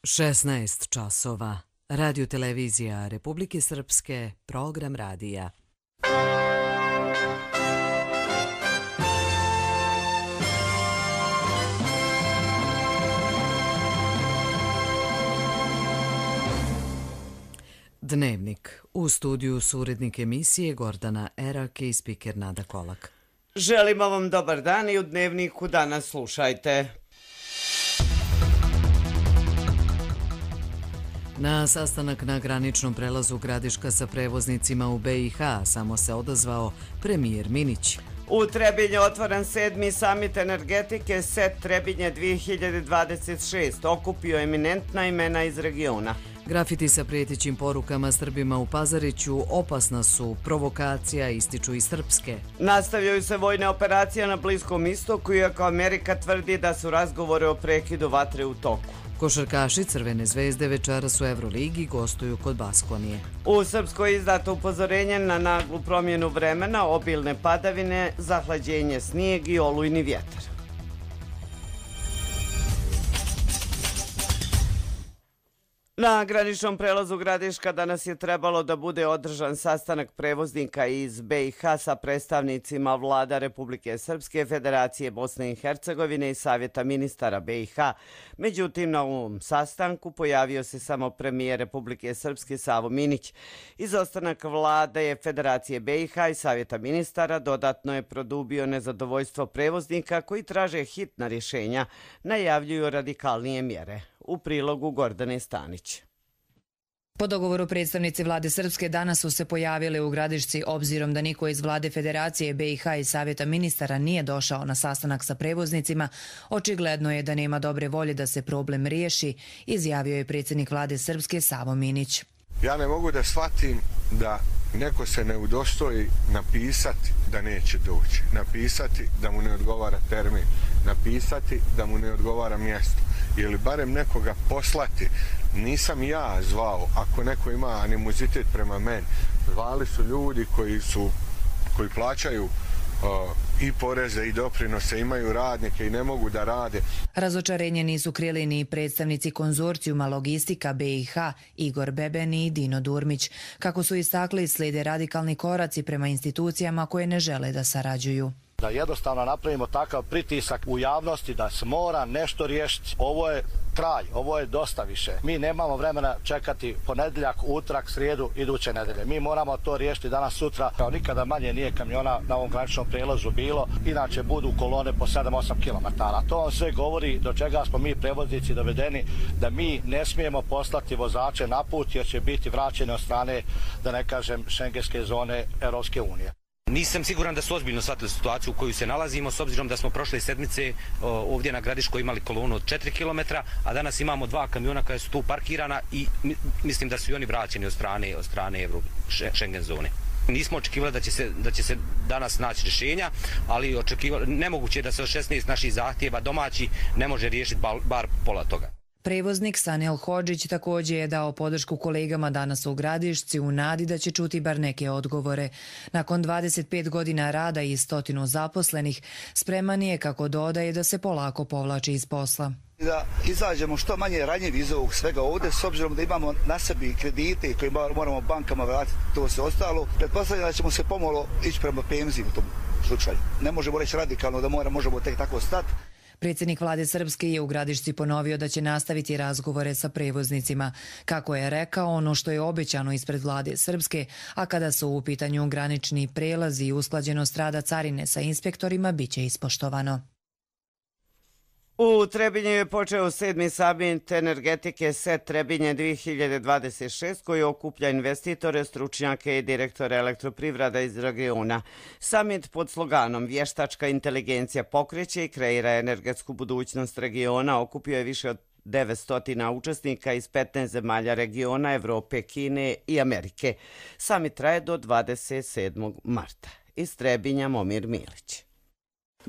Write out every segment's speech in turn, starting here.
16 časova. Radio televizija Republike Srpske, program radija. Dnevnik. U studiju su urednik emisije Gordana Erak i spiker Nada Kolak. Želimo vam dobar dan i u Dnevniku danas slušajte. Na sastanak na graničnom prelazu Gradiška sa prevoznicima u BiH samo se odazvao premijer Minić. U Trebinju otvoren 7. samit energetike SET Trebinje 2026. Okupio eminentna imena iz regiona. Grafiti sa prijetećim porukama Srbima u Pazariću opasna su, provokacija, ističu i srpske. Nastavljaju se vojne operacije na Bliskom istoku, iako Amerika tvrdi da su razgovore o prekidu vatre u toku. Košarkaši Crvene zvezde večeras u Euroligi gostuju kod Baskonije. U Srpskoj je izdato upozorenje na naglu promjenu vremena, obilne padavine, zahlađenje, snijeg i olujni vjetar. Na graničnom prelazu Gradiška danas je trebalo da bude održan sastanak prevoznika iz BiH sa predstavnicima vlada Republike Srpske, Federacije Bosne i Hercegovine i Savjeta ministara BiH. Međutim, na ovom sastanku pojavio se samo premijer Republike Srpske Savo Minić. Izostanak vlade Federacije BiH i Savjeta ministara dodatno je produbio nezadovoljstvo prevoznika koji traže hitna rješenja, najavljuju radikalnije mjere. U prilogu Gordane Stanić. Po dogovoru predstavnici vlade Srpske danas su se pojavili u Gradišci obzirom da niko iz vlade Federacije BiH i Savjeta ministara nije došao na sastanak sa prevoznicima. Očigledno je da nema dobre volje da se problem riješi, izjavio je predsjednik vlade Srpske Savo Minić. Ja ne mogu da shvatim da neko se ne udostoji napisati da neće doći, napisati da mu ne odgovara termin, napisati da mu ne odgovara mjesto ili barem nekoga poslati. Nisam ja zvao, ako neko ima animozitet prema meni. Zvali su ljudi koji plaćaju i poreze i doprinose, imaju radnike i ne mogu da rade. Razočarenje nisu krili ni predstavnici konzorcijuma Logistika BiH Igor Bebeni i Dino Durmić. Kako su istakli, slijede radikalni koraci prema institucijama koje ne žele da sarađuju. Da jednostavno napravimo takav pritisak u javnosti da se mora nešto riješiti. Ovo je kraj, ovo je dosta više. Mi nemamo vremena čekati ponedjeljak, utorak, srijedu, iduće nedelje. Mi moramo to riješiti danas, sutra. Kao nikada manje nije kamiona na ovom graničnom prijelazu bilo. Inače budu kolone po 7-8 km. To vam sve govori do čega smo mi prevoznici dovedeni, da mi ne smijemo poslati vozače na put jer će biti vraćeni od strane, da ne kažem, šengenske zone Europske unije. Nisam siguran da su ozbiljno shvatili situaciju u kojoj se nalazimo, s obzirom da smo prošle sedmice ovdje na Gradiškoj imali kolonu od 4 km, a danas imamo 2 kamiona koja su tu parkirana i mislim da su i oni vraćeni od strane Schengen zone. Nismo očekivali da će se danas naći rješenja, ali nemoguće je da se od 16 naših zahtjeva domaći ne može riješiti bar pola toga. Prevoznik Sanel Hodžić također je dao podršku kolegama danas u Gradišci u nadi da će čuti bar neke odgovore. Nakon 25 godina rada i 100 zaposlenih, spreman je, kako dodaje, da se polako povlači iz posla. Da izađemo što manje ranjivi iz ovog svega ovdje, s obzirom da imamo na sebi kredite koje moramo bankama vratiti, to se ostalo. Pretpostavljam da ćemo se pomalo ići prema penziji u tom slučaju. Ne možemo reći radikalno da možemo tek tako stati. Predsjednik vlade Srpske je u Gradišci ponovio da će nastaviti razgovore sa prevoznicima. Kako je rekao, ono što je obećano ispred vlade Srpske, a kada su u pitanju granični prelazi i usklađenost rada carine sa inspektorima, bit će ispoštovano. U Trebinju je počeo 7. samit energetike SET Trebinje 2026 koji okuplja investitore, stručnjake i direktore elektroprivreda iz regiona. Samit pod sloganom Vještačka inteligencija pokreće i kreira energetsku budućnost regiona okupio je više od 900 učesnika iz 15 zemalja regiona, Evrope, Kine i Amerike. Samit traje do 27. marta. Iz Trebinja Momir Milić.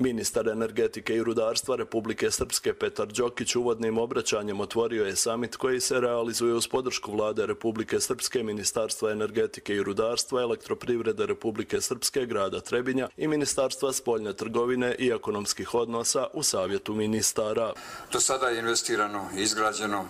Ministar energetike i rudarstva Republike Srpske Petar Đokić uvodnim obraćanjem otvorio je samit koji se realizuje uz podršku vlade Republike Srpske, Ministarstva energetike i rudarstva, Elektroprivrede Republike Srpske, grada Trebinja i Ministarstva spoljne trgovine i ekonomskih odnosa u Savjetu ministara. Do sada je investirano i izgrađeno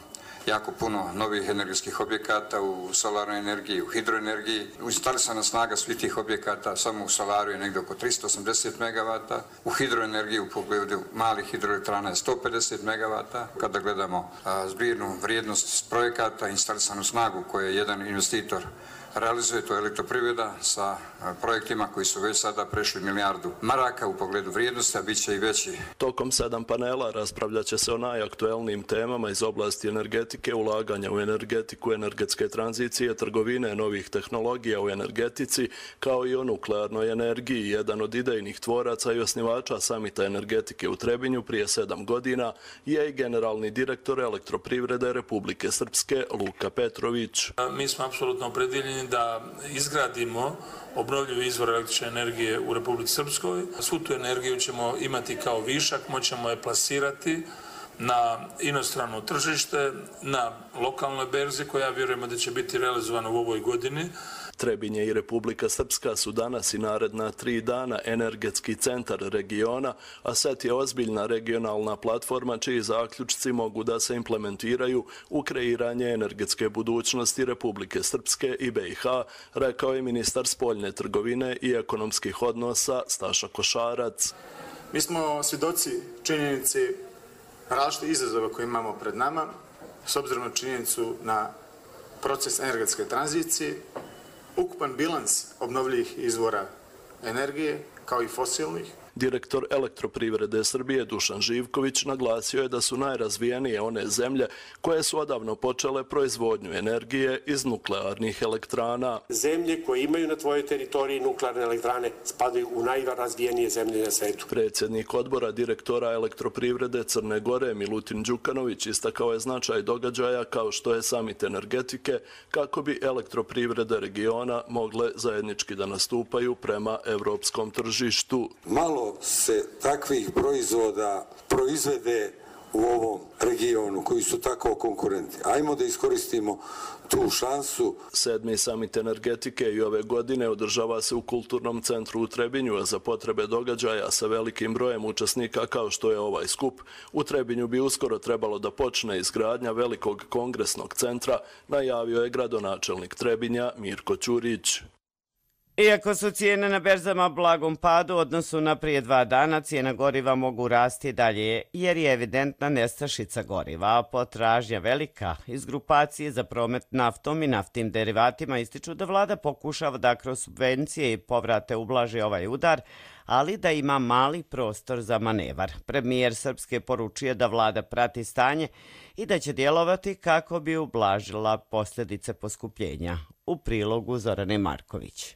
jako puno novih energetskih objekata u solarnoj energiji, u hidroenergiji. Instalisana snaga svih tih objekata samo u solaru je negdje oko 380 MW, u hidroenergiji u pogledu malih hidroelektrana je 150 MW. Kada gledamo zbirnu vrijednost projekata, instalisanu snagu koju je jedan investitor realizuje, to je Elektroprivreda sa projektima koji su već sada prešli milijardu maraka u pogledu vrijednosti, a bit će i veći. Tokom 7 panela raspravljat će se o najaktuelnijim temama iz oblasti energetike, ulaganja u energetiku, energetske tranzicije, trgovine, novih tehnologija u energetici, kao i o nuklearnoj energiji. Jedan od idejnih tvoraca i osnivača Samita energetike u Trebinju prije 7 godina je i generalni direktor Elektroprivrede Republike Srpske Luka Petrović. Mi smo apsolutno opredjeljeni da izgradimo obnovljivi izvor električne energije u Republici Srpskoj. Svu tu energiju ćemo imati kao višak, moćemo je plasirati na inostrano tržište, na lokalnoj berzi koja vjerujemo da će biti realizovana u ovoj godini. Trebinje i Republika Srpska su danas i naredna 3 dana energetski centar regiona, a SET je ozbiljna regionalna platforma čiji zaključci mogu da se implementiraju u kreiranje energetske budućnosti Republike Srpske i BiH, rekao je ministar spoljne trgovine i ekonomskih odnosa Staša Košarac. Mi smo svjedoci činjenici različitih izazova koje imamo pred nama, s obzirom na činjenicu na proces energetske tranzicije, ukupan bilans obnovljivih izvora energije, kao i fosilnih. Direktor Elektroprivrede Srbije Dušan Živković naglasio je da su najrazvijenije one zemlje koje su odavno počele proizvodnju energije iz nuklearnih elektrana. Zemlje koje imaju na tvojoj teritoriji nuklearne elektrane spadaju u najrazvijenije zemlje na svetu. Predsjednik odbora direktora Elektroprivrede Crne Gore Milutin Đukanović istakao je značaj događaja kao što je Samit energetike kako bi elektroprivrede regiona mogle zajednički da nastupaju prema evropskom tržištu. Malo se takvih proizvoda proizvede u ovom regionu koji su tako konkurenti. Ajmo da iskoristimo tu šansu. 7. samit energetike i ove godine održava se u Kulturnom centru u Trebinju, a za potrebe događaja sa velikim brojem učesnika kao što je ovaj skup, u Trebinju bi uskoro trebalo da počne izgradnja velikog kongresnog centra, najavio je gradonačelnik Trebinja Mirko Ćurić. Iako su cijene na berzama blagom padu u odnosu na prije 2 dana, cijena goriva mogu rasti dalje jer je evidentna nestašica goriva, a potražnja velika. Iz grupacije za promet naftom i naftnim derivatima ističu da vlada pokušava da kroz subvencije i povrate ublaži ovaj udar, ali da ima mali prostor za manevar. Premijer Srpske poručuje da vlada prati stanje i da će djelovati kako bi ublažila posljedice poskupljenja. U prilogu Zorane Marković.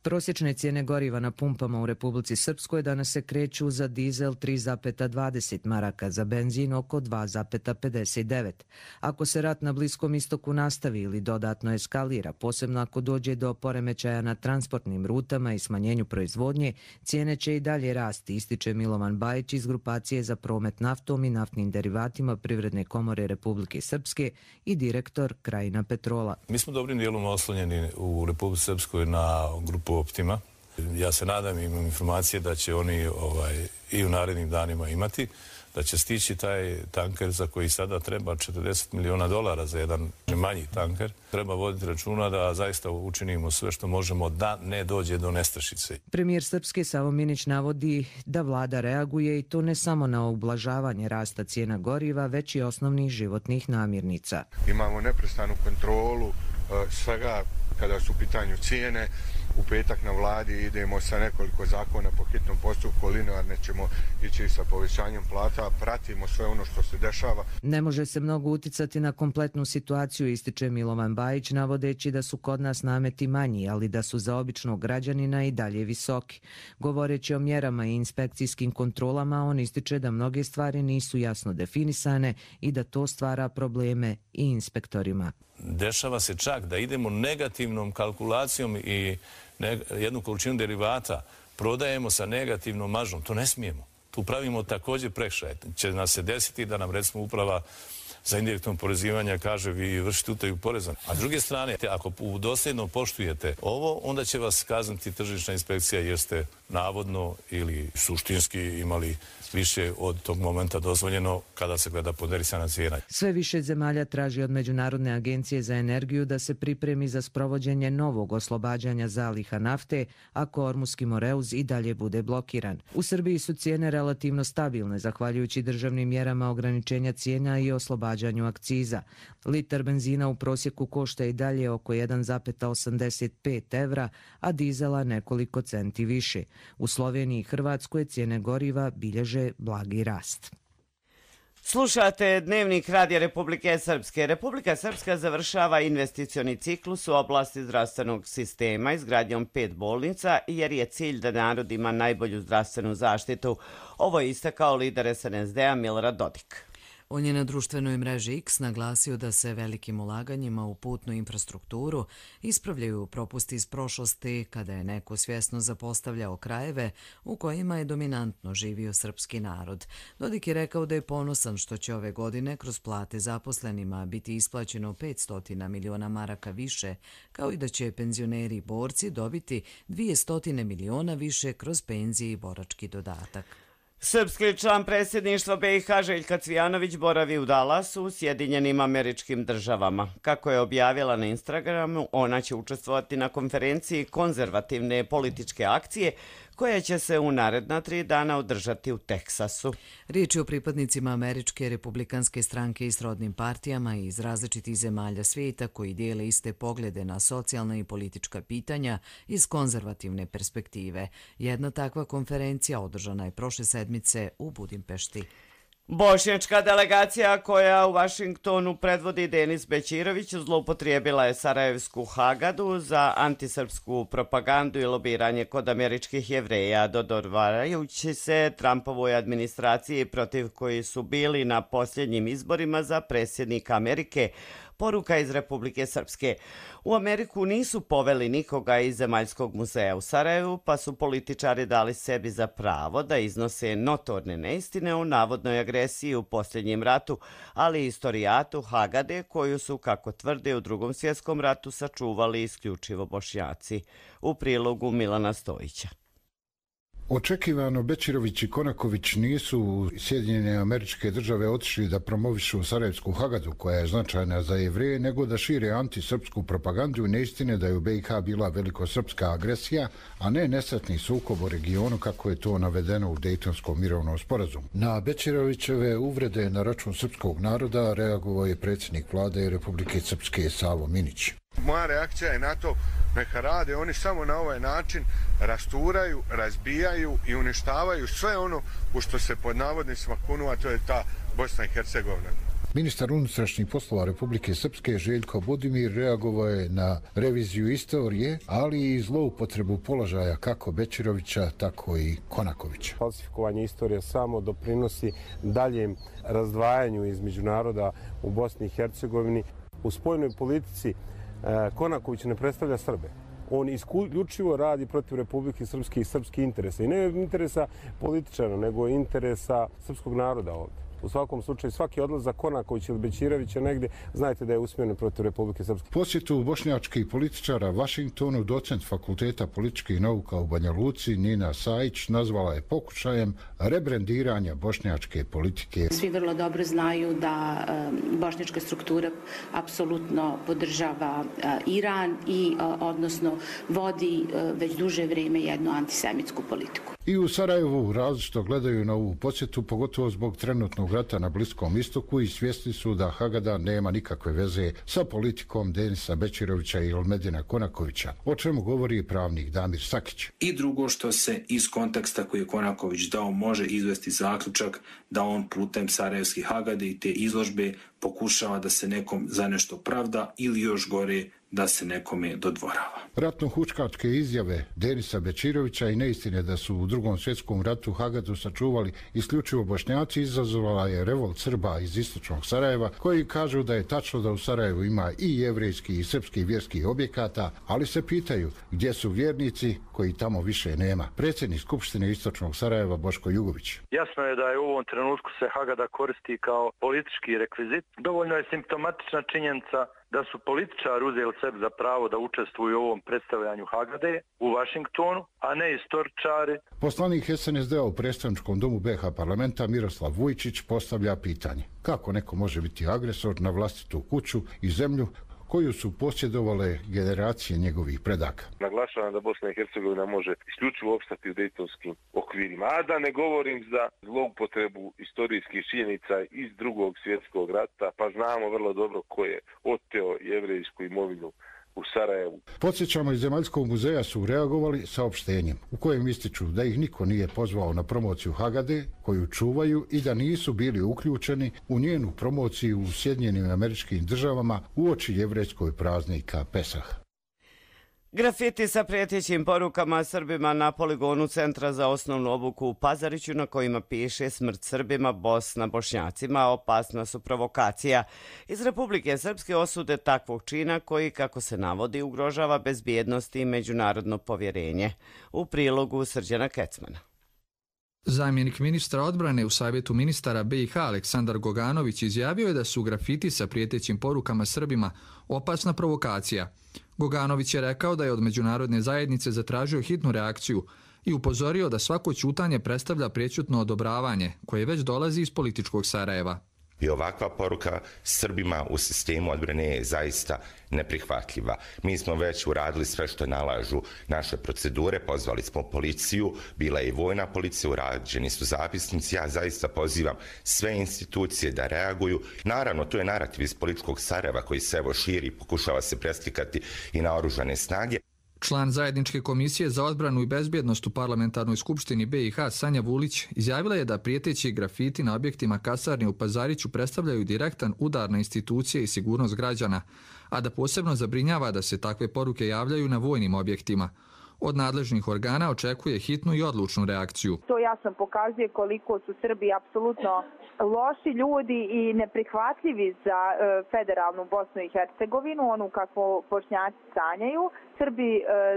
Prosječne cijene goriva na pumpama u Republici Srpskoj danas se kreću za dizel 3,20 maraka, za benzin oko 2,59. Ako se rat na Bliskom istoku nastavi ili dodatno eskalira, posebno ako dođe do poremećaja na transportnim rutama i smanjenju proizvodnje, cijene će i dalje rasti, ističe Milovan Bajić iz grupacije za promet naftom i naftnim derivatima Privredne komore Republike Srpske i direktor Krajina Petrola. Mi smo dobrim dijelom oslonjeni u Republici Srpskoj na grupu Optima. Ja se nadam i imam informacije da će oni i u narednim danima imati, da će stići taj tanker za koji sada treba $40 miliona za jedan manji tanker. Treba voditi računa da zaista učinimo sve što možemo da ne dođe do nestašice. Premijer Srpske Savo Minić navodi da vlada reaguje i to ne samo na ublažavanje rasta cijena goriva, već i osnovnih životnih namirnica. Imamo neprestanu kontrolu svega kada su u pitanju cijene. U petak na vladi idemo sa nekoliko zakona po hitnom postupku, linearne ćemo ići sa povećanjem plata, pratimo sve ono što se dešava. Ne može se mnogo uticati na kompletnu situaciju, ističe Milovan Bajić, navodeći da su kod nas nameti manji, ali da su za običnog građanina i dalje visoki. Govoreći o mjerama i inspekcijskim kontrolama, on ističe da mnoge stvari nisu jasno definisane i da to stvara probleme i inspektorima. Dešava se čak da idemo negativnom kalkulacijom i jednu količinu derivata prodajemo sa negativnom maržom. To ne smijemo. Tu pravimo također prekršaj. Će nas se desiti da nam recimo uprava za indirektno oporezivanje kaže vi vršite utaju poreza. A s druge strane, ako dosljedno poštujete ovo, onda će vas kazniti tržišna inspekcija jer ste navodno ili suštinski imali više od tog momenta dozvoljeno kada se gleda ponderisana cijena. Sve više zemalja traži od Međunarodne agencije za energiju da se pripremi za sprovođenje novog oslobađanja zaliha nafte ako Ormuski Moreuz i dalje bude blokiran. U Srbiji su cijene relativno stabilne zahvaljujući državnim mjerama ograničenja cijena i oslobađanju akciza. Litar benzina u prosjeku košta i dalje oko 1,85 evra, a dizela nekoliko centi više. U Sloveniji i Hrvatskoj cijene goriva bilježe blagi rast. Slušate Dnevnik Radija Republike Srpske. Republika Srpska završava investicioni ciklus u oblasti zdravstvenog sistema izgradnjom 5 bolnica jer je cilj da narod ima najbolju zdravstvenu zaštitu. Ovo je istakao lider SNSD-a Milorad Dodik. On je na društvenoj mreži X naglasio da se velikim ulaganjima u putnu infrastrukturu ispravljaju propusti iz prošlosti kada je neko svjesno zapostavljao krajeve u kojima je dominantno živio srpski narod. Dodik je rekao da je ponosan što će ove godine kroz plate zaposlenima biti isplaćeno 500 miliona maraka više, kao i da će penzioneri i borci dobiti 200 miliona više kroz penzije i borački dodatak. Srpski član predsjedništva BiH Željka Cvijanović boravi u Dallasu u Sjedinjenim Američkim Državama. Kako je objavila na Instagramu, ona će učestvovati na konferenciji konzervativne političke akcije koja će se u naredna 3 dana održati u Teksasu. Riječ je o pripadnicima Američke republikanske stranke i srodnim partijama iz različitih zemalja svijeta koji dijele iste poglede na socijalna i politička pitanja iz konzervativne perspektive. Jedna takva konferencija održana je prošle sedmice u Budimpešti. Bošnjačka delegacija koja u Vašingtonu predvodi Denis Bećirović zloupotrijebila je sarajevsku Hagadu za antisrpsku propagandu i lobiranje kod američkih Jevreja, dodvoravajući se Trumpovoj administraciji protiv koji su bili na posljednjim izborima za predsjednika Amerike. Poruka iz Republike Srpske. U Ameriku nisu poveli nikoga iz Zemaljskog muzeja u Sarajevu, pa su političari dali sebi za pravo da iznose notorne neistine o navodnoj agresiji u posljednjem ratu, ali i istorijatu Hagade, koju su, kako tvrde, u Drugom svjetskom ratu sačuvali isključivo Bošnjaci. U prilogu Milana Stojića. Očekivano Bećirović i Konaković nisu u Sjedinjene Američke Države otišli da promovišu Sarajevsku Hagadu, koja je značajna za Jevreje, nego da šire antisrpsku propagandu i neistine da je u BiH bila velikosrpska agresija, a ne nesretni sukob u regionu kako je to navedeno u Dejtonskom mirovnom sporazumu. Na Bećirovićeve uvrede na račun srpskog naroda reagovao je predsjednik vlade Republike Srpske Savo Minić. Moja reakcija je na to, neka rade, oni samo na ovaj način rasturaju, razbijaju i uništavaju sve ono u što se pod navodnicima kunu, a to je ta Bosna i Hercegovina. Ministar unutrašnjih poslova Republike Srpske Željko Budimir reagovao je na reviziju istorije, ali i zloupotrebu položaja kako Bećirovića, tako i Konakovića. Falsifikovanje istorije samo doprinosi daljem razdvajanju između naroda u Bosni i Hercegovini. U spoljnoj politici Konaković ne predstavlja Srbe. On isključivo radi protiv Republike Srpske i srpskih interesa. I ne interesa političara, nego interesa srpskog naroda ovdje. U svakom slučaju, svaki odlazak Konakovića ili Bećirovića negdje, znajte da je usmjeren protiv Republike Srpske. Posjetu bošnjačkih političara Vašingtonu docent Fakulteta političkih nauka u Banja Luci Nina Sajić nazvala je pokušajem rebrendiranja bošnjačke politike. Svi vrlo dobro znaju da bošnjačka struktura apsolutno podržava Iran i odnosno vodi već duže vrijeme jednu antisemitsku politiku. I u Sarajevu različito gledaju na ovu posjetu, pogotovo zbog trenutnog rata na Bliskom istoku i svjesni su da Hagada nema nikakve veze sa politikom Denisa Bećirovića i Elmedina Konakovića, o čemu govori pravnik Damir Sakić. I drugo, što se iz konteksta koji je Konaković dao može izvesti zaključak da on putem sarajevskih Hagade i te izložbe pokušava da se nekom za nešto pravda ili još gore da se nekome dodvorava. Ratno-huškačke izjave Denisa Bečirovića i neistine da su u Drugom svjetskom ratu Hagadu sačuvali isključivo Bošnjaci izazvala je revolt Srba iz istočnog Sarajeva, koji kažu da je tačno da u Sarajevu ima i jevrejski i srpski vjerskih objekata, ali se pitaju gdje su vjernici koji tamo više nema. Predsjednik Skupštine istočnog Sarajeva Boško Jugović. Jasno je da je u ovom trenutku se Hagada koristi kao politički rekvizit. Dovoljno je simptomatična činjenica da su političari uzeli sebi za pravo da učestvuju u ovom predstavljanju Hagade u Vašingtonu, a ne istoričari. Poslanik SNSD-a u predstavničkom domu BiH parlamenta Miroslav Vujčić postavlja pitanje kako neko može biti agresor na vlastitu kuću i zemlju koju su posjedovale generacije njegovih predaka. Naglašavam da Bosna i Hercegovina može isključivo opstati u dejtonskim okvirima, a da ne govorim za zloupotrebu istorijskih činjenica iz Drugog svjetskog rata, pa znamo vrlo dobro ko je oteo jevrejsku imovinu u Sarajevu. Podsjećamo, iz Zemaljskog muzeja su reagovali saopštenjem u kojem ističu da ih niko nije pozvao na promociju Hagade koju čuvaju i da nisu bili uključeni u njenu promociju u Sjedinjenim Američkim Državama uoči jevrejskog praznika Pesah. Grafiti sa prijetećim porukama Srbima na poligonu Centra za osnovnu obuku u Pazariću na kojima piše smrt Srbima, Bosna Bošnjacima, opasna su provokacija. Iz Republike Srpske osude takvog čina koji, kako se navodi, ugrožava bezbjednost i međunarodno povjerenje. U prilogu Srđana Kecmana. Zamjenik ministra odbrane u Savjetu ministara BiH Aleksandar Goganović izjavio je da su grafiti sa prijetećim porukama Srbima opasna provokacija. Goganović je rekao da je od međunarodne zajednice zatražio hitnu reakciju i upozorio da svako ćutanje predstavlja prečutno odobravanje koje već dolazi iz političkog Sarajeva. I ovakva poruka Srbima u sistemu odbrane je zaista neprihvatljiva. Mi smo već uradili sve što nalažu naše procedure, pozvali smo policiju, bila je i vojna policija, urađeni su zapisnici. Ja zaista pozivam sve institucije da reaguju. Naravno, to je narativ iz političkog Sarajeva koji se evo širi i pokušava se preslikati i na oružane snage. Član Zajedničke komisije za odbranu i bezbjednost u Parlamentarnoj skupštini BiH Sanja Vulić izjavila je da prijeteći grafiti na objektima kasarne u Pazariću predstavljaju direktan udar na institucije i sigurnost građana, a da posebno zabrinjava da se takve poruke javljaju na vojnim objektima. Od nadležnih organa očekuje hitnu i odlučnu reakciju. To jasno pokazuje koliko su Srbi apsolutno loši ljudi i neprihvatljivi za federalnu Bosnu i Hercegovinu, onu kako Bošnjaci sanjaju. Srbi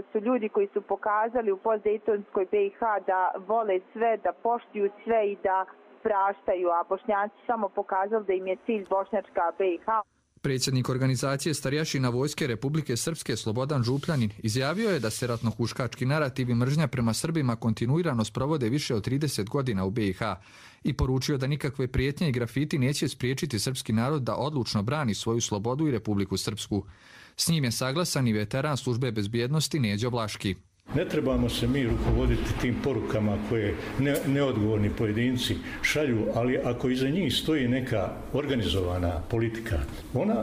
su ljudi koji su pokazali u postdejtonskoj BiH da vole sve, da poštuju sve i da praštaju, a Bošnjaci samo pokazali da im je cilj bošnjačka BiH. Predsjednik organizacije starješina Vojske Republike Srpske Slobodan Župljanin izjavio je da se ratno-huškački narativ i mržnja prema Srbima kontinuirano sprovode više od 30 godina u BiH i poručio da nikakve prijetnje i grafiti neće spriječiti srpski narod da odlučno brani svoju slobodu i Republiku Srpsku. S njim je saglasan i veteran službe bezbjednosti Neđo Vlaški. Ne trebamo se mi rukovoditi tim porukama koje neodgovorni pojedinci šalju, ali ako iza njih stoji neka organizovana politika,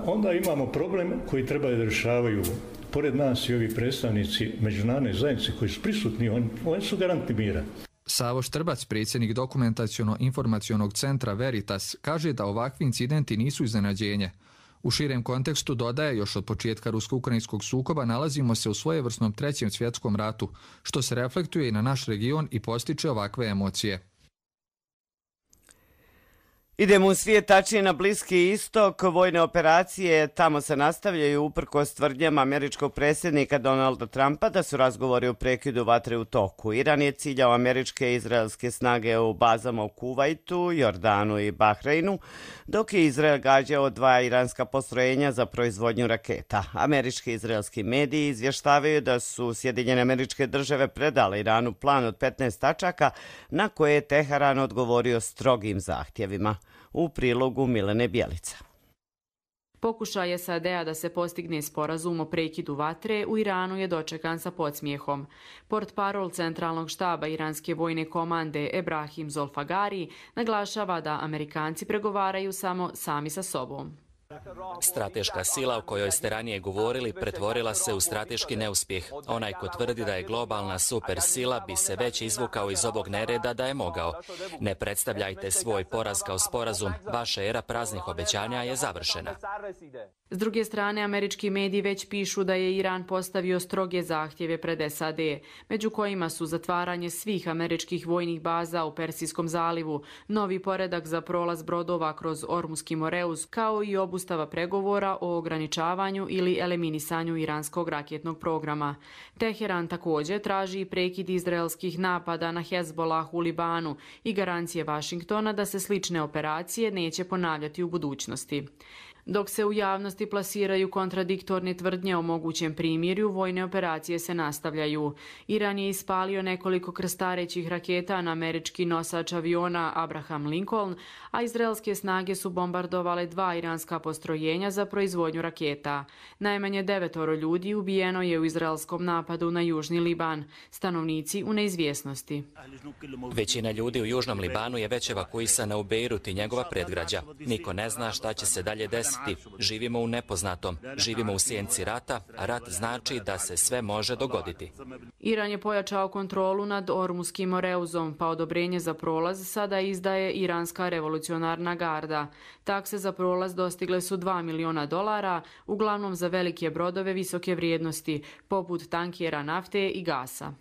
onda imamo problem koji treba da rješavaju pored nas i ovi predstavnici međunarodne zajednice koji su prisutni, oni su garanti mira. Savo Štrbac, predsjednik dokumentaciono-informacionog centra Veritas, kaže da ovakvi incidenti nisu iznenađenje. U širem kontekstu dodaje, još od početka rusko-ukrajinskog sukoba nalazimo se u svojevrsnom trećem svjetskom ratu, što se reflektuje i na naš region i postiče ovakve emocije. Idemo u svijet, tačnije na Bliski istok. Vojne operacije tamo se nastavljaju uprkos tvrdnjama američkog predsjednika Donalda Trumpa da su razgovori o prekidu vatre u toku. Iran je ciljao američke i izraelske snage u bazama u Kuvajtu, Jordanu i Bahreinu, dok je Izrael gađao 2 iranska postrojenja za proizvodnju raketa. Američki i izraelski mediji izvještavaju da su Sjedinjene Američke Države predale Iranu plan od 15 tačaka na koje je Teheran odgovorio strogim zahtjevima. U prilogu Milene Bjelica. Pokušaj SAD-a da se postigne sporazum o prekidu vatre u Iranu je dočekan sa podsmijehom. Portparol centralnog štaba iranske vojne komande Ebrahim Zolfagari naglašava da Amerikanci pregovaraju samo sami sa sobom. Strateška sila o kojoj ste ranije govorili pretvorila se u strateški neuspjeh. Onaj ko tvrdi da je globalna supersila bi se već izvukao iz ovog nereda da je mogao. Ne predstavljajte svoj poraz kao sporazum. Vaša era praznih obećanja je završena. S druge strane, američki mediji već pišu da je Iran postavio stroge zahtjeve pred SAD, među kojima su zatvaranje svih američkih vojnih baza u Persijskom zalivu, novi poredak za prolaz brodova kroz Ormuski Moreus, kao i obustava pregovora o ograničavanju ili eliminisanju iranskog raketnog programa. Teheran također traži prekid izraelskih napada na Hezbollah u Libanu i garancije Vašingtona da se slične operacije neće ponavljati u budućnosti. Dok se u javnosti plasiraju kontradiktorne tvrdnje o mogućem primirju, vojne operacije se nastavljaju. Iran je ispalio nekoliko krstarećih raketa na američki nosač aviona Abraham Lincoln, a izraelske snage su bombardovale 2 iranska postrojenja za proizvodnju raketa. Najmanje 9 ljudi ubijeno je u izraelskom napadu na Južni Liban, stanovnici u neizvjesnosti. Većina ljudi u Južnom Libanu je već evakuisana u Bejrut i njegova predgrađa. Niko ne zna šta će se dalje desiti. Živimo u nepoznatom, živimo u sjenci rata, a rat znači da se sve može dogoditi. Iran je pojačao kontrolu nad Ormuskim Moreuzom, pa odobrenje za prolaz sada izdaje Iranska revolucionarna garda. Takse za prolaz dostigle su $2 miliona, uglavnom za velike brodove visoke vrijednosti, poput tankera nafte i gasa.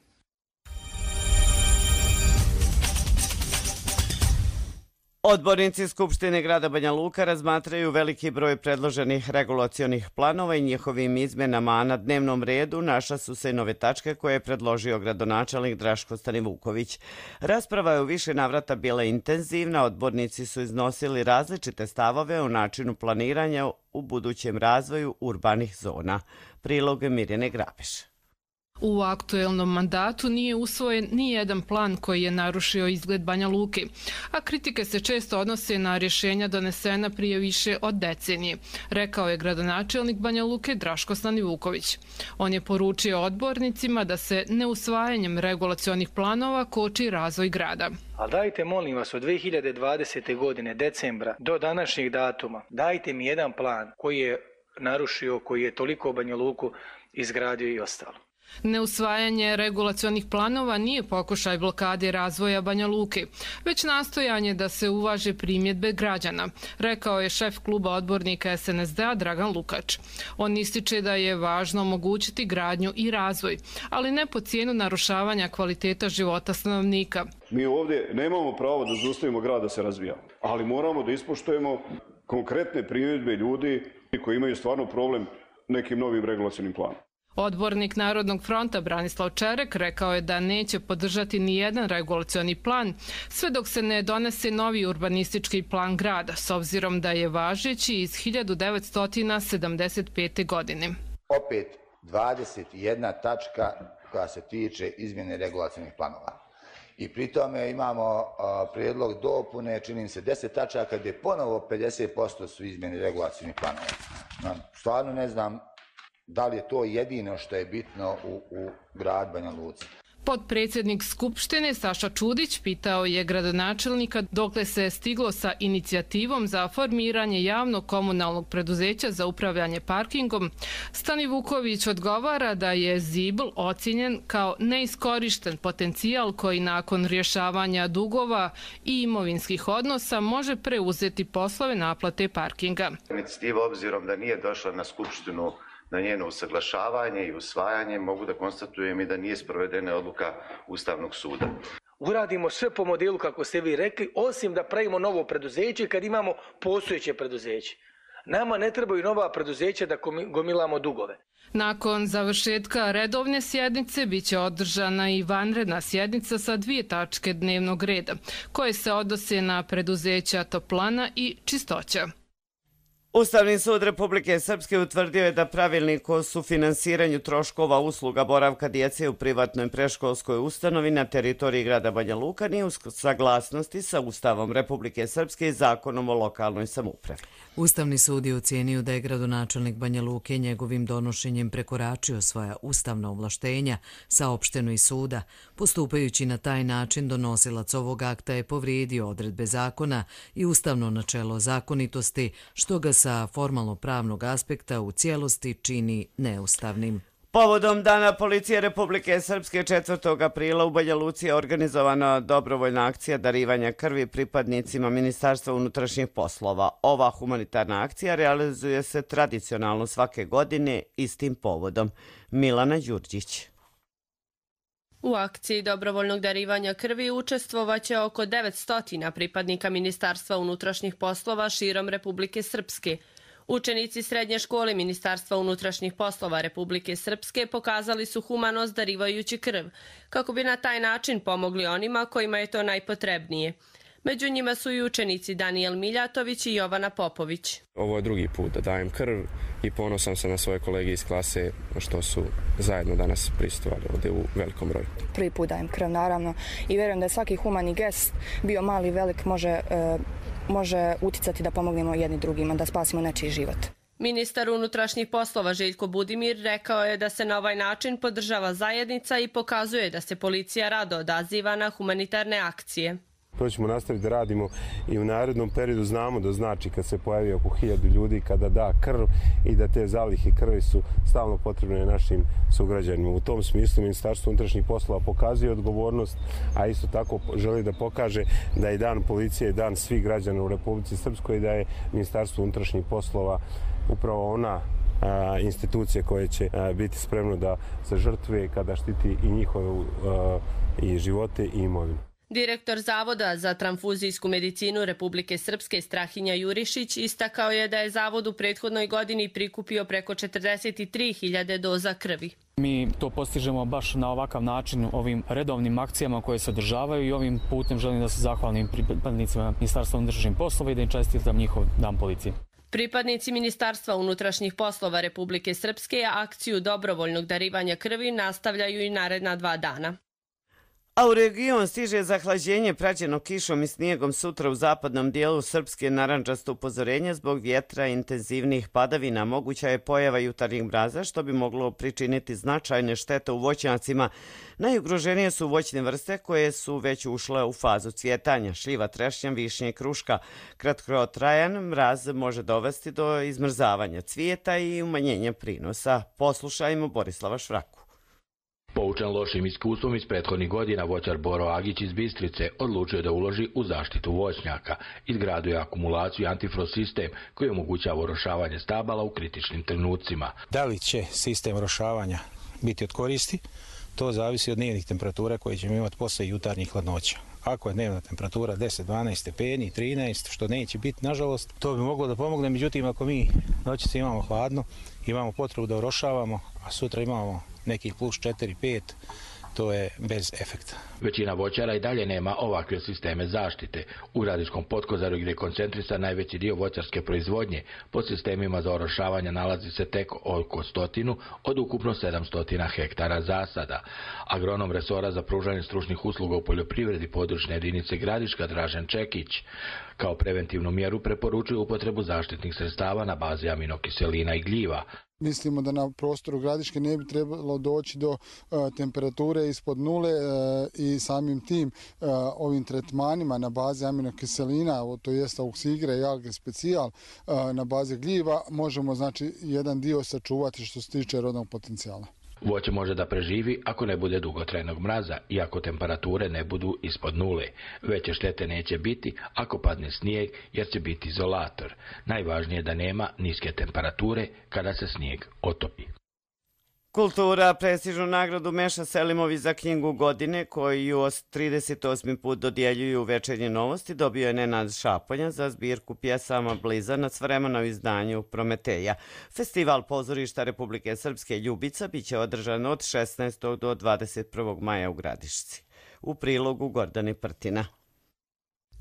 Odbornici Skupštine grada Banja Luka razmatraju veliki broj predloženih regulacionih planova i njihovim izmenama, a na dnevnom redu našla su se i nove tačke koje je predložio gradonačelnik Draško Stanivuković. Rasprava je u više navrata bila intenzivna, odbornici su iznosili različite stavove o načinu planiranja u budućem razvoju urbanih zona. Prilog Mirjane Grabeš. U aktuelnom mandatu nije usvojen ni jedan plan koji je narušio izgled Banja Luke, a kritike se često odnose na rješenja donesena prije više od decenije, rekao je gradonačelnik Banja Luke Draško Stanivuković. On je poručio odbornicima da se neusvajanjem regulacionih planova koči razvoj grada. Ali dajte, molim vas, od 2020. godine, decembra, do današnjeg datuma, dajte mi jedan plan koji je narušio, koji je toliko Banja Luku izgradio i ostalo. Neusvajanje regulacionih planova nije pokušaj blokade razvoja Banja Luke, već nastojanje da se uvaže primjedbe građana, rekao je šef kluba odbornika SNSD-a Dragan Lukač. On ističe da je važno omogućiti gradnju i razvoj, ali ne po cijenu narušavanja kvaliteta života stanovnika. Mi ovdje nemamo pravo da zaustavimo grad da se razvija, ali moramo da ispoštujemo konkretne primjedbe ljudi koji imaju stvarno problem nekim novim regulacionim planom. Odbornik Narodnog fronta Branislav Čerek rekao je da neće podržati ni jedan regulacioni plan sve dok se ne donese novi urbanistički plan grada, s obzirom da je važeći iz 1975. godine. Opet 21 tačka koja se tiče izmjene regulacionih planova. I pri tome imamo prijedlog dopune, čini se 10 tačaka gdje ponovo 50% su izmjene regulacionih planova. Stvarno ne znam da li je to jedino što je bitno u grad Banja Luci. Potpredsjednik Skupštine Saša Čudić pitao je gradonačelnika dokle se je stiglo sa inicijativom za formiranje javnog komunalnog preduzeća za upravljanje parkingom. Stanivuković odgovara da je ZIBL ocjenjen kao neiskorišten potencijal koji nakon rješavanja dugova i imovinskih odnosa može preuzeti poslove naplate parkinga. Inicijativa, obzirom da nije došla na Skupštinu na njeno usaglašavanje i usvajanje, mogu da konstatujem i da nije sprovedena odluka Ustavnog suda. Uradimo sve po modelu kako ste vi rekli, osim da pravimo novo preduzeće kad imamo postojeće preduzeće. Nama ne trebaju nova preduzeća da gomilamo dugove. Nakon završetka redovne sjednice biće održana i vanredna sjednica sa 2 tačke dnevnog reda, koje se odnose na preduzeća Toplana i Čistoća. Ustavni sud Republike Srpske utvrdio je da pravilnik o sufinansiranju troškova usluga boravka djece u privatnoj predškolskoj ustanovi na teritoriji grada Banja Luka nije u saglasnosti sa Ustavom Republike Srpske i Zakonom o lokalnoj samoupravi. Ustavni sud je ocijenio da je gradonačelnik Banja Luke njegovim donošenjem prekoračio svoja ustavna ovlaštenja, saopšteno iz suda. Postupajući na taj način, donosilac ovog akta je povrijedio odredbe zakona i ustavno načelo zakonitosti, što ga sa formalno-pravnog aspekta u cijelosti čini neustavnim. Povodom Dana policije Republike Srpske 4. aprila u Banja Luci je organizovana dobrovoljna akcija darivanja krvi pripadnicima Ministarstva unutrašnjih poslova. Ova humanitarna akcija realizuje se tradicionalno svake godine istim povodom. Milana Đurđić. U akciji dobrovoljnog darivanja krvi učestvovaće oko 900 pripadnika Ministarstva unutrašnjih poslova širom Republike Srpske. Učenici srednje škole Ministarstva unutrašnjih poslova Republike Srpske pokazali su humanost darivajući krv, kako bi na taj način pomogli onima kojima je to najpotrebnije. Među njima su i učenici Danijel Miljatović i Jovana Popović. Ovo je drugi put da dajem krv i ponosan sam na svoje kolege iz klase što su zajedno danas prisustvovali ovdje u velikom broju. Prvi put dajem krv, naravno, i vjerujem da je svaki humani gest, bio mali, velik, može uticati da pomognemo jedni drugima, da spasimo nečiji život. Ministar unutrašnjih poslova Željko Budimir rekao je da se na ovaj način podržava zajednica i pokazuje da se policija rado odaziva na humanitarne akcije. To ćemo nastaviti da radimo i u narednom periodu. Znamo da znači kad se pojavi oko 1000 ljudi kada da krv i da te zalihe krvi su stalno potrebne našim sugrađanima. U tom smislu Ministarstvo unutrašnjih poslova pokazuje odgovornost, a isto tako želi da pokaže da je dan policije dan svih građana u Republici Srpskoj i da je Ministarstvo unutrašnjih poslova upravo ona institucija koja će biti spremna da se žrtvuje kada štiti i njihove i živote i imovinu. Direktor Zavoda za transfuzijsku medicinu Republike Srpske Strahinja Jurišić istakao je da je Zavod u prethodnoj godini prikupio preko 43.000 doza krvi. Mi to postižemo baš na ovakav način ovim redovnim akcijama koje se održavaju i ovim putem želim da se zahvalim pripadnicima Ministarstva unutrašnjih poslova i da im čestitam njihov dan policije. Pripadnici Ministarstva unutrašnjih poslova Republike Srpske akciju dobrovoljnog darivanja krvi nastavljaju i naredna 2 dana. A u region stiže zahlađenje praćeno kišom i snijegom sutra u zapadnom dijelu Srpske. Narandžasto upozorenje zbog vjetra i intenzivnih padavina. Moguća je pojava jutarnjih mraza što bi moglo pričiniti značajne štete u voćnjacima. Najugroženije su voćne vrste koje su već ušle u fazu cvjetanja. Šljiva, trešnja, višnja i kruška. Kratkotrajan mraz može dovesti do izmrzavanja cvijeta i umanjenja prinosa. Poslušajmo Borislava Švraku. Poučen lošim iskustvom iz prethodnih godina, voćar Boro Agić iz Bistrice odlučio da uloži u zaštitu voćnjaka. Izgradio je akumulaciju i antifrost sistem koji omogućava orošavanje stabala u kritičnim trenucima. Da li će sistem orošavanja biti od koristi? To zavisi od dnevnih temperatura koje ćemo imati posle jutarnjih hladnoća. Ako je dnevna temperatura 10-12 stepeni, 13, što neće biti, nažalost, to bi moglo da pomogne. Međutim, ako mi noćice imamo hladno, imamo potrebu da orošavamo, a sutra imamo nekih plus 4-5, to je bez efekta. Većina voćara i dalje nema ovakve sisteme zaštite. U Gradiškom Potkozaru gdje je koncentrisan najveći dio voćarske proizvodnje, pod sistemima za orošavanje nalazi se tek oko 100 od ukupno 700 hektara zasada. Agronom resora za pružanje stručnih usluga u poljoprivredi područne jedinice Gradiška Dražen Čekić kao preventivnu mjeru preporučuje upotrebu zaštitnih sredstava na bazi aminokiselina i gljiva. Mislimo da na prostoru Gradiške ne bi trebalo doći do temperature ispod nule i samim tim ovim tretmanima na bazi aminokiselina, to jest auksigre i alge specijal na bazi gljiva, možemo znači jedan dio sačuvati što se tiče rodnog potencijala. Voće može da preživi ako ne bude dugotrajnog mraza i ako temperature ne budu ispod nule. Veće štete neće biti ako padne snijeg jer će biti izolator. Najvažnije je da nema niske temperature kada se snijeg otopi. Kultura prestižnu nagradu Meša Selimović za knjigu godine koju 38. put dodjeljuju Večernje novosti dobio je Nenad Šaponja za zbirku pjesama Blizanac vremena u izdanju Prometeja. Festival pozorišta Republike Srpske Ljubica biće održan od 16. do 21. maja u Gradišci. U prilogu Gordane Prtina.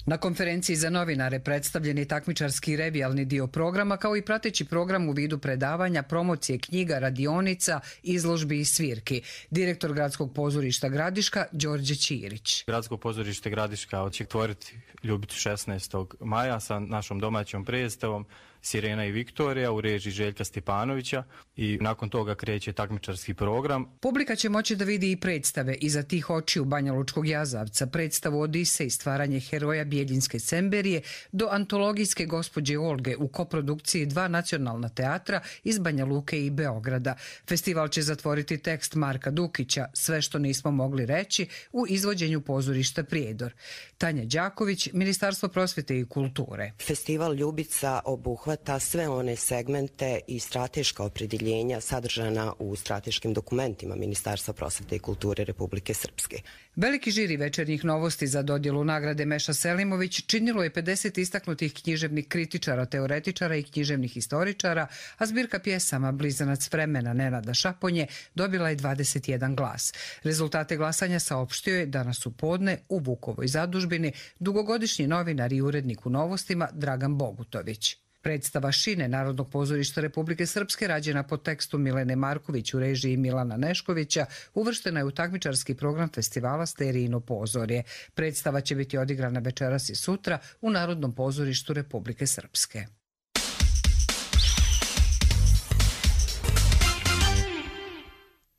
Na konferenciji za novinare predstavljen je takmičarski revijalni dio programa kao i prateći program u vidu predavanja, promocije knjiga, radionica, izložbi i svirki. Direktor Gradskog pozorišta Gradiška Đorđe Ćirić. Gradsko pozorište Gradiška će otvoriti Ljubicu 16. maja sa našom domaćom predstavom. Sirena i Viktorija u režiji Željka Stjepanovića i nakon toga kreće takmičarski program. Publika će moći da vidi i predstave Iza tih očiju Banja Lučkog jazavca, predstavu Odise i stvaranje heroja Bijeljinske Semberije do antologijske Gospođe Olge u koprodukciji 2 nacionalna teatra iz Banja Luke i Beograda. Festival će zatvoriti tekst Marka Dukića Sve što nismo mogli reći u izvođenju pozorišta Prijedor. Tanja Đaković, Ministarstvo prosvjete i kulture. Festival Ljubica obuhvata sve one segmente i strateška opredjeljenja sadržana u strateškim dokumentima Ministarstva prosvjete i kulture Republike Srpske. Veliki žiri Večernjih novosti za dodjelu nagrade Meša Selimović činilo je 50 istaknutih književnih kritičara, teoretičara i književnih historičara, a zbirka pjesama Blizanac vremena Nenada Šaponje dobila je 21 glas. Rezultate glasanja saopštio je danas u podne u Vukovoj zadužbini dugogodišnji novinar i urednik u Novostima Dragan Bogutović. Predstava Šine Narodnog pozorišta Republike Srpske, rađena po tekstu Milene Marković u režiji Milana Neškovića, uvrštena je u takmičarski program festivala Sterijino pozorje. Predstava će biti odigrana večeras i sutra u Narodnom pozorištu Republike Srpske.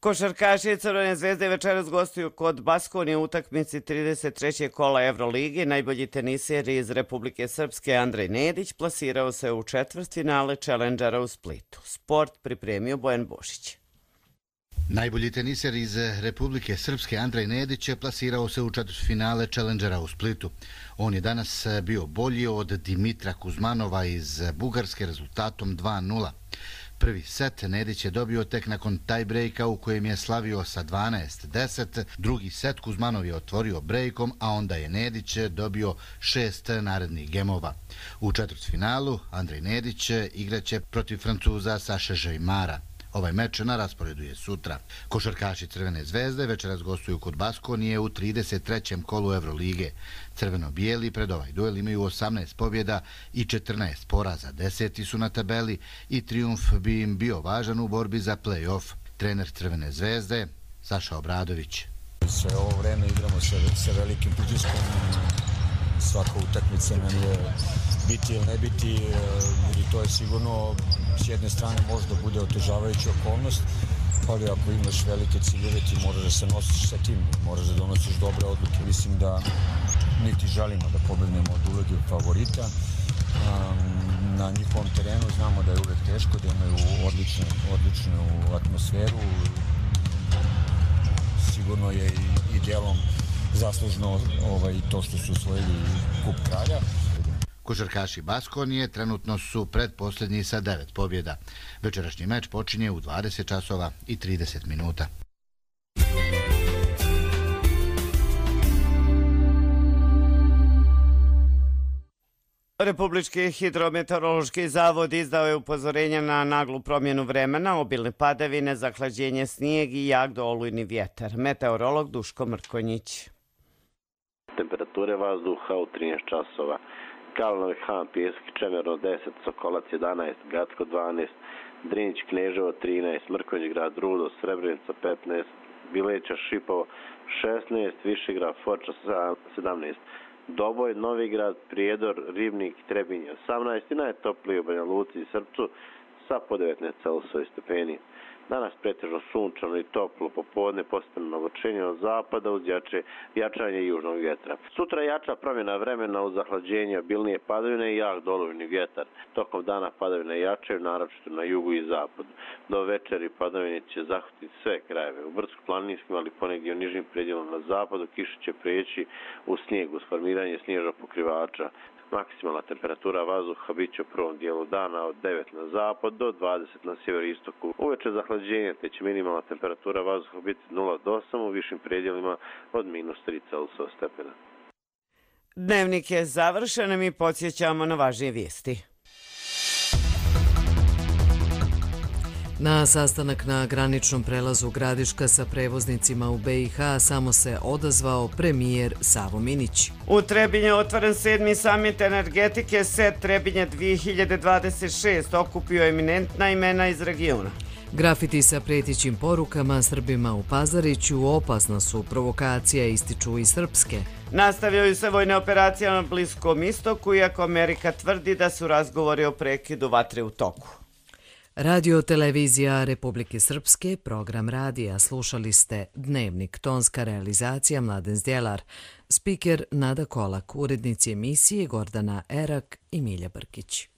Košarkaši Crvene zvezde večeras gostuju kod Baskonije u utakmici 33. kola Evrolige. Najbolji teniser iz Republike Srpske Andrej Nedić plasirao se u četvrtfinale Challengera u Splitu. Sport pripremio Bojan Bošić. Najbolji teniser iz Republike Srpske Andrej Nedić plasirao se u četvrtfinale Challengera u Splitu. On je danas bio bolji od Dimitra Kuzmanova iz Bugarske rezultatom 2:0. Prvi set Nedić je dobio tek nakon tie-breaka u kojem je slavio sa 12-10. Drugi set Kuzmanov je otvorio brejkom, a onda je Nedić dobio 6 narednih gemova. U četvrtfinalu Andrej Nedić igraće protiv Francuza Saše Žejmara. Ovaj meč na rasporedu je sutra. Košarkaši Crvene zvezde večeras gostuju kod Baskonije u 33. kolu Evrolige. Crveno-bijeli pred ovaj duel imaju 18 pobjeda i 14 poraza. 10. su na tabeli i trijumf bi im bio važan u borbi za play-off. Trener Crvene zvezde Saša Obradović. Sve ovo vreme igramo sa velikim pritiskom. Svaka utakmica nam je biti ili ne biti, i to je sigurno s jedne strane možda bude otežavajuća okolnost, ali ako imaš velike ciljeve ti moraš da se nosiš sa tim, moraš da donosiš dobre odluke. Mislim da niti želimo da pobednemo od uloge favorita. Na njihovom terenu znamo da je uvek teško, da imaju odličnu atmosferu. Sigurno je i dijelom zaslužno to što su osvojili kup kralja. Košarkaši Baskonije trenutno su predposljednji sa 9 pobjeda. Večerašnji meč počinje u 20 časova i 30 minuta. Republički hidrometeorološki zavod izdao je upozorenja na naglu promjenu vremena, obilne padavine, zahlađenje, snijeg i jak do olujni vjetar. Meteorolog Duško Mrkonjić. Temperature vazduha u 13 časova. Kalanovi Han, Pjeski, Čemerno 10, Sokolac 11, Gacko 12, Drinić, Kneževo 13, Mrkonjić grad, Rudo, Srebrenica 15, Bileća, Šipovo 16, Višegrad, Foča 17, Doboj, Novigrad, Prijedor, Ribnik, Trebinje 18 i najtoplije u Banja Luci i Srpcu sa po 19 Celsiusovih stepeni. Danas pretežno sunčano i toplo, popodne postepeno oblačenje od zapada uz jačanje južnog vjetra. Sutra jača promjena vremena uz zahlađenje, obilnije padavine i jak doluvni vjetar. Tokom dana padavine jačaju, naročito na jugu i zapadu. Do večeri padavine će zahvatiti sve krajeve. U brdsko-planinskim, ali ponegdje u nižim predjelom na zapadu kiša će prijeći u snijeg uz formiranje snježnog pokrivača. Maksimalna temperatura vazduha bit će u prvom dijelu dana od 9 na zapad do 20 na sjeveroistoku. Uveče zahlađenje, te će minimalna temperatura vazduha biti 0 do 8, u višim predjelima od -3 Celsiusova stepena. Dnevnik je završen, mi podsjećamo na važnije vijesti. Na sastanak na graničnom prelazu Gradiška sa prevoznicima u BiH samo se odazvao premijer Savo Minić. U Trebinju je otvoren 7. samit energetike SET Trebinje 2026, okupio eminentna imena iz regiona. Grafiti sa pretićim porukama Srbima u Pazariću opasna su provokacija, ističu i srpske. Nastavljaju se vojne operacije na Bliskom istoku, iako Amerika tvrdi da su razgovori o prekidu vatre u toku. Radio televizija Republike Srpske, program radija. Slušali ste Dnevnik, tonska realizacija Mladen Zdjelar, spiker Nada Kolak, urednici emisije Gordana Erak i Milja Brkić.